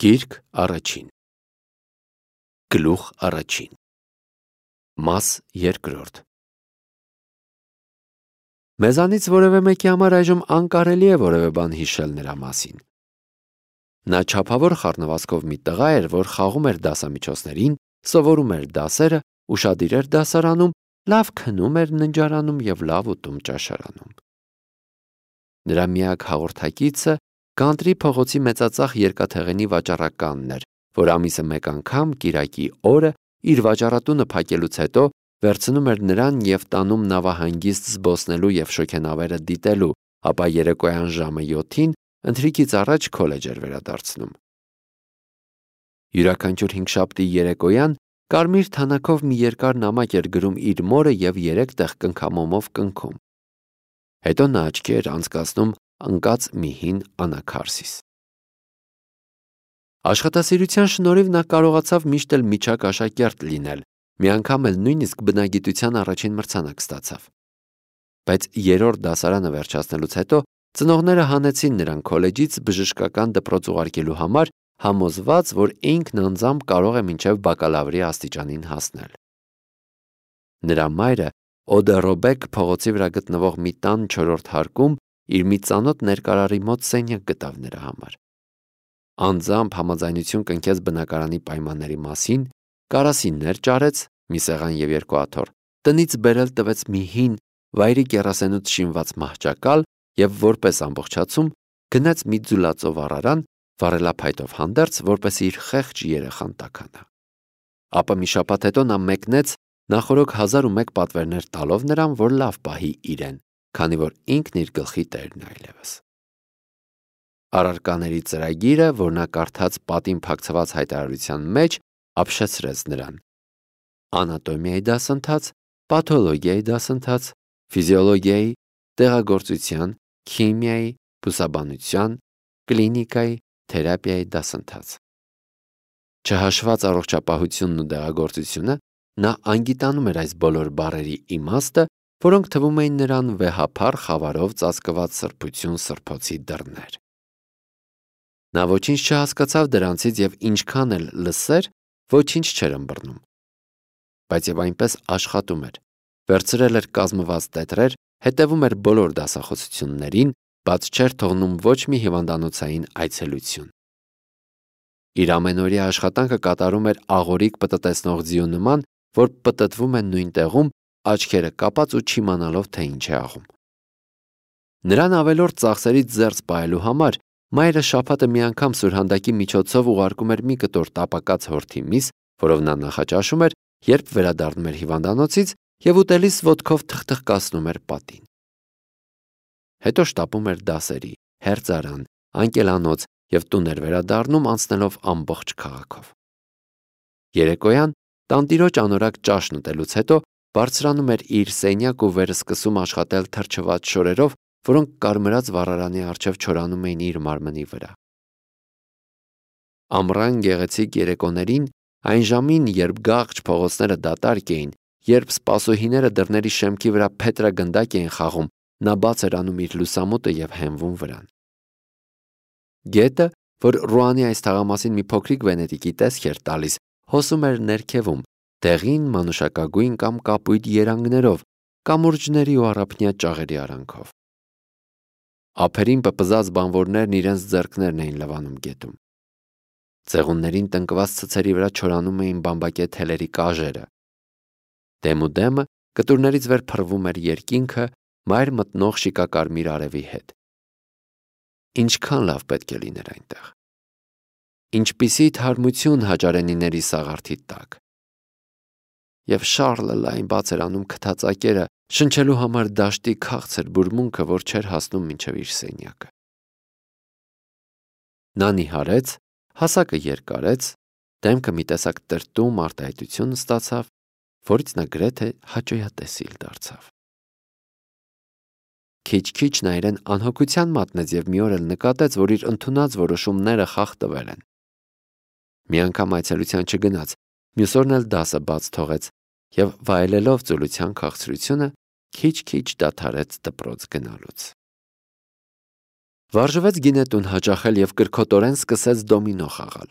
Գիրք առաջին Գլուխ առաջին Մաս երկրորդ Մեզանից որևէ մեկի համար այժմ անկարելի է որևէ բան հիշել նրա մասին։ Նա չափավոր խառնվածքով մի տղա էր, որ խաղում էր դասամիջոցներին, սովորում էր դասերը, ուշադիր էր դասարանում, լավ քնում էր ննջարանում և լավ ուտում ճաշարանում։ Նրա միակ հաղորդակիցը Գանտրի փողոցի մեծածախ երկաթեղենի վաճառականն էր, որ ամիսը մեկ անգամ կիրակի օրը իր վաճառատունը փակելուց հետո վերցնում էր նրան և տանում նավահանգիստ զբոսնելու և շոգենավերը դիտելու, ապա երեկոյան ժամը 7-ին ընթրիքից առաջ քոլեջ էր վերադարձնում։ Յուրաքանչյուր հինգշաբթի երեկոյան կարմիր թանաքով մի երկար նամակ էր գրում իր մորը և 3 տեղ կնքամոմով կնքում։ Հետո նա աչքի էր անցկացնում ընկած մի հին անաքարսիս։ Աշխատասիրության շնորհիվ նա կարողացավ միշտ էլ միջակ աշակերտ լինել, մի անգամ էլ նույնիսկ բնագիտության առաջին մրցանակ ստացավ։ Բայց 3-րդ դասարանը վերջացնելուց հետո ծնողները հանեցին նրան քոլեջից բժշկական դպրոց ուղարկելու համար, համոզված, որ ինքն անձամբ կարող է մինչև բակալավրի աստիճանին հասնել։ Նրա մայրը Օդերոբեկ փողոցի վրա գտնվող մի տան 4-րդ հարկում իր մի ծանոթ ներկարարի մոտ սենյակ գտավ նրա համար։ Անձամբ համաձայնություն կնքեց բնակարանի պայմանների մասին, կարասիններ ճարեց, մի սեղան և 2 աթոռ, տնից բերել տվեց մի հին, վայրի կեռասենուց շինված մահճակալ և որպես ամբողջացում գնաց մի ձուլածով առարան, վառելափայտով հանդերձ, որպեսզի իր խեղճ երեխան տաքանա։ Ապա մի շաբաթ հետո նա մեկնեց նախօրոք 1001 պատվերներ տալով նրան, որ լավ պահի իրեն, քանի որ ինքն իր գլխի տերն է այլևս։ Առարկաների ծրագիրը, որ նա կարդաց պատին փակցված հայտարարության մեջ, ապշեցրեց նրան։ Անատոմիայի դասընթաց, պաթոլոգիայի դասընթաց, ֆիզիոլոգիայի, դեղագործության, քիմիայի, բուսաբանության, կլինիկայի, թերապիայի դասընթաց։ Չհաշված առողջապահությունն ու դեղագործությունը, նա անգիտանում էր այս բոլոր բառերի իմաստը, որոնք թվում էին նրան վեհափառ խավարով ծածկված սրբություն սրբոցի դռներ։ Նա ոչինչ չհասկացավ դրանցից և ինչքան էլ լսեր, ոչինչ չէր ըմբռնում։ Բայց և այնպես աշխատում էր, վերցրել էր կազմված տետրեր, հետևում էր բոլոր դասախոսություններին, բաց չէր թողնում ոչ մի հիվանդանոցային այցելություն։ Իր ամենօրյա աշխատանքը կատարում էր աղորիկ պտտեցնող ձիու նման, որ պտտվում է նույն տեղում, աչքերը կապած ու չիմանալով, թե ինչ է աղում։ Նրան ավելորդ ծախսերից զերծ պահելու համար մայրը շաբաթը մի անգամ սուրհանդակի միջոցով ուղարկում էր մի կտոր տապակած հորթի միս, որով նա նախաճաշում էր, երբ վերադառնում էր հիվանդանոցից և ուտելիս ոտքով թխթխկացնում էր պատին։ Հետո շտապում էր դասերի, հերձարան, անկելանոց և տուն էր վերադառնում անցնելով ամբողջ քաղաքով։ Երեկոյան տանտիրոջ անորակ ճաշն ուտելուց հետո բարձրանում էր իր սենյակ ու վեր սկսում աշխատել թրջված շորերով, որոնք կարմրած վառարանի առջև չորանում էին իր մարմնի վրա։ Ամռան գեղեցիկ երեկոներին, այն ժամին, երբ գաղջ փողոցները դատարկ էին, երբ սպասուհիները դռների շեմքի վրա փետրագնդակ էին խաղում, նա բաց էր անում իր լուսամուտը և հենվում վրան։ Գետը, որ Ռուանի այս թաղամասին մի փոքրիկ Վենետիկի տեսք էր տալիս, հոսում էր ներքևում, դեղին մանուշակագույն կամ կապույտ երանգներով, կամուրջների ու առափնյա ճաղերի արանքով։ Ափերին պպզած բանվորներն իրենց ձեռքներն էին լվանում գետում։ Ծեղուններին տնկված ցցերի վրա չորանում էին բամբակե թելերի կաժերը։ Դեմուդեմը կտուրներից վեր փռվում էր երկինքը մայր մտնող շիկակարմիր արևի հետ։ Ինչքան լավ պետք է լիներ այնտեղ։ Ինչպիսի թարմություն հաճարենիների սաղարթի տակ։ Եվ Շառլը լայն բաց էր անում քթածակերը, շնչելու համար դաշտի քաղցր բուրմունքը, որ չէր հասնում մինչև իր սենյակը։ Նա նիհարեց, հասակը երկարեց, դեմքը մի տեսակ տրտում արտահայտություն ստացավ, որից նա գրեթե հաճոյատեսիլ դարձավ։ Քիչ-քիչ նա իրեն անհոգության մատնեց և մի օր էլ նկատեց, որ իր ընդունած որոշումները խախտվել են։ Մի անգամ այցելության չգնաց, մյուս օրն էլ դասը բաց թողեց և վայելելով ծուլության քաղցրությունը, քիչ-քիչ դադարեց դպրոց գնալուց։ Վարժվեց գինետուն հաճախել և կրքոտորեն սկսեց դոմինո խաղալ։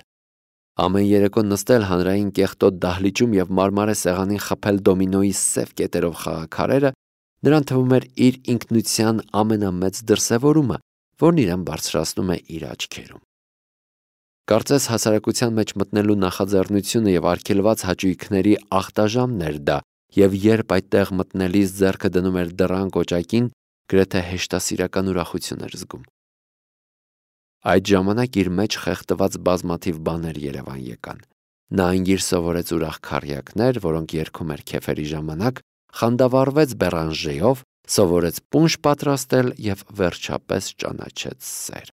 Ամեն երեկո նստել հանրային կեղտոտ դահլիճում և մարմարե սեղանին խփել դոմինոյի սև կետերով խաղաքարերը նրան թվում էր իր ինքնության ամենամեծ դրսևորումը, որն իրեն բարձրացնում է իր աչքերում։ Կարծես հասարակության մեջ մտնելու նախաձեռնությունը և արգելված հաճույքների ախտաժամն էր դա, և երբ այդտեղ մտնելիս ձեռքը դնում էր դռան կոճակին, գրեթե հեշտասիրական ուրախություն էր զգում։ Այդ ժամանակ իր մեջ խեղդված բազմաթիվ բաներ երևան եկան։ Նա անգիր սովորեց ուրախ քառյակներ, որոնք երգում էր քեֆերի ժամանակ, խանդավառվեց բերանժեով, սովորեց պունշ պատրաստել և վերջապես ճանաչեց սեր։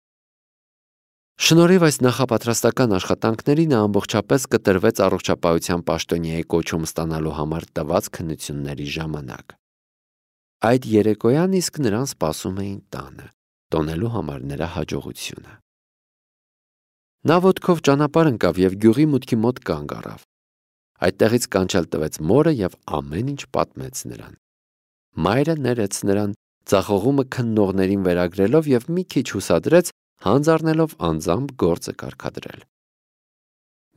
Շնորհիվ այս նախապատրաստական աշխատանքների նա ամբողջապես կտրվեց առողջապահության պաշտոնյայի կոչում ստանալու համար տված քննությունների ժամանակ։ Այդ երեկոյան իսկ նրան սպասում էին տանը, տոնելու համար նրա հաջողությունը։ Նա ոտքով ճանապարհ ընկավ և գյուղի մուտքի մոտ կանգ առավ։ Այդտեղից կանչել տվեց մորը և ամեն ինչ պատմեց նրան։ Մայրը ներեց նրան, ձախողումը քննողներին վերագրելով և մի քիչ հուսադրեց, հանձ առնելով անձամբ գործը կարգադրել։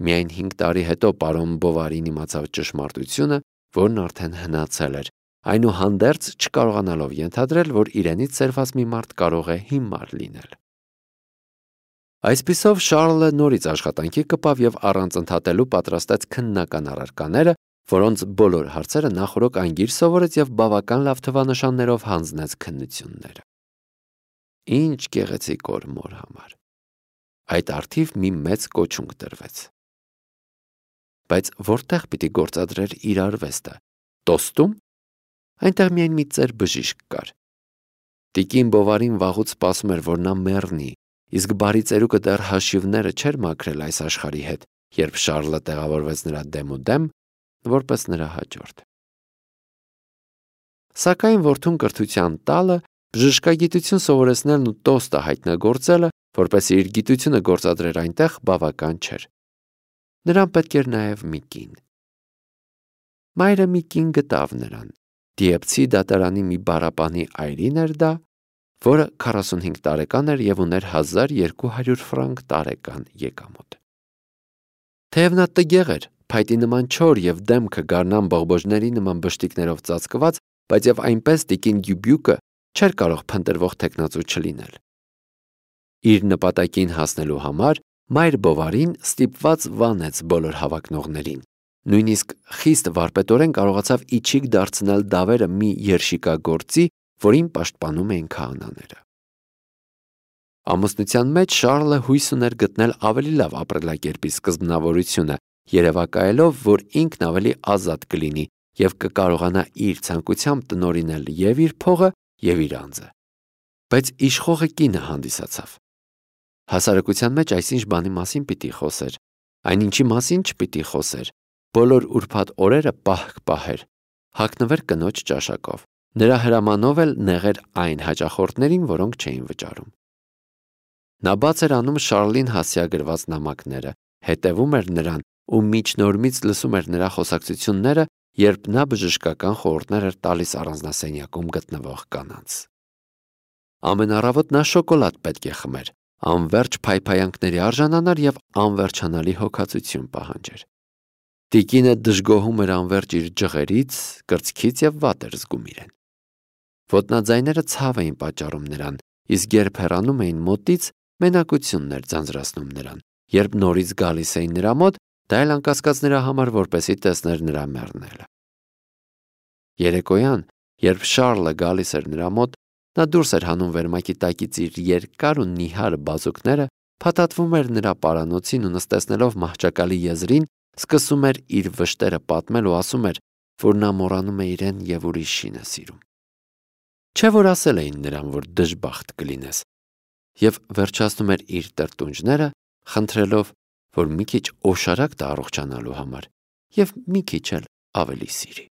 Միայն 5 տարի հետո պարոն Բովարին իմացավ ճշմարտությունը, որն արդեն հնացել էր, այնուհանդերձ չկարողանալով ենթադրել, որ իրենից սերված մի մարդ կարող է հիմար լինել։ Այսպիսով Շառլը նորից աշխատանքի կպավ և առանց ընդհատելու պատրաստեց քննական առարկաները, որոնց բոլոր հարցերը նախօրոք անգիր սովորեց և բավական լավ թվանշաններով հանձնեց քննությունները։ Ինչ գեղեցիկ օր մոր համար։ Այդ առթիվ մի մեծ կոչունք տրվեց։ Բայց որտեղ պիտի գործադրեր իր արվեստը։ Տոստում։ Այնտեղ միայն մի ծեր բժիշկ կար։ Տիկին Բովարին վաղուց սպասում էր, որ նա մեռնի, իսկ բարի ծերուկը դեռ հաշիվները չէր մաքրել այս աշխարհի հետ, երբ Շառլը տեղավորվեց նրա դեմուդեմ, որպես նրա հաջորդ։ Սակայն որդուն կրթության տալը, բժշկագիտություն սովորեցնելն ու տոստը հայտնագործելը, որպեսզի իր գիտությունը գործադրեր այնտեղ, բավական չէր։ Նրան պետք էր նաև մի կին։ Մայրը մի կին գտավ նրան։ Դիեպցի դատարանի մի բառապանի այրին էր դա, որը 45 տարեկան էր և ուներ 1200 ֆրանկ տարեկան եկամուտ։ Թեև նա տգեղ էր, փայտի նման չոր և դեմքը գարնան բողբոջների նման բշտիկներով ծածկված, բայց և այնպես տիկին Դյուբյուկը չէր կարող փնտրվող թեկնածու չլինել։ Իր նպատակին հասնելու համար մայր Բովարին ստիպված վանեց բոլոր հավակնողներին, նույնիսկ խիստ վարպետորեն կարողացավ իջիկ դարձնել դավերը մի երշիկագործի, որին պաշտպանում էին քահանաները։ Ամուսնության մեջ Շառլը հույս ուներ գտնել ավելի լավ ապրելակերպի սկզբնավորությունը, երևակայելով, որ ինքն ավելի ազատ կլինի և կկարողանա իր ցանկությամբ տնօրինել և իր փողը, և իր անձը։ Բայց իշխողը կինը հանդիսացավ։ Հասարակության մեջ այսինչ բանի մասին պիտի խոսեր, այնինչի մասին չպիտի խոսեր, բոլոր ուրբաթ օրերը պահք պահեր, հագնվեր կնոջ ճաշակով, նրա հրամանով էլ նեղեր այն հաճախորդներին, որոնք չէին վճարում։ Նա բաց էր անում Շառլին հասցեագրված նամակները, հետևում էր նրան ու միջնորմից լսում էր նրա խոսակցությունները, երբ նա բժշկական խորհուրդներ էր տալիս առանձնասենյակում գտնվող կանանց։ Ամեն առավոտ նա շոկոլադ պետք է խմեր, անվերջ փայփայանքների արժանանար և անվերջանալի հոգացություն պահանջեր։ Տիկինը դժգոհում էր անվերջ իր ջղերից, կրծքից և վատ էր զգում իրեն։ Ոտնաձայները ցավ էին պատճառում նրան, իսկ երբ հեռանում էին մոտից, մենակությունն էր ձանձրացնում նրան։ Երբ նորից գալիս էին նրա մոտ, դա էլ անկասկած նրա համար, որպեսզի տեսներ նրա մեռնելը։ Երեկոյան, երբ Շառլը գալիս էր նրա մոտ, նա դուրս էր հանում վերմակի տակից իր երկար ու նիհար բազուկները, փաթաթվում էր նրա պարանոցին ու նստեցնելով մահճակալի եզրին, սկսում էր իր վշտերը պատմել ու ասում էր, որ նա մոռանում է իրեն և ուրիշին է սիրում։ Չէ՞ որ ասել էին նրան, որ դժբախտ կլինես, և վերջացնում էր իր տրտունջները, խնդրելով, որ մի քիչ օշարակ տա առողջանալու համար և մի քիչ էլ ավելի սիրի։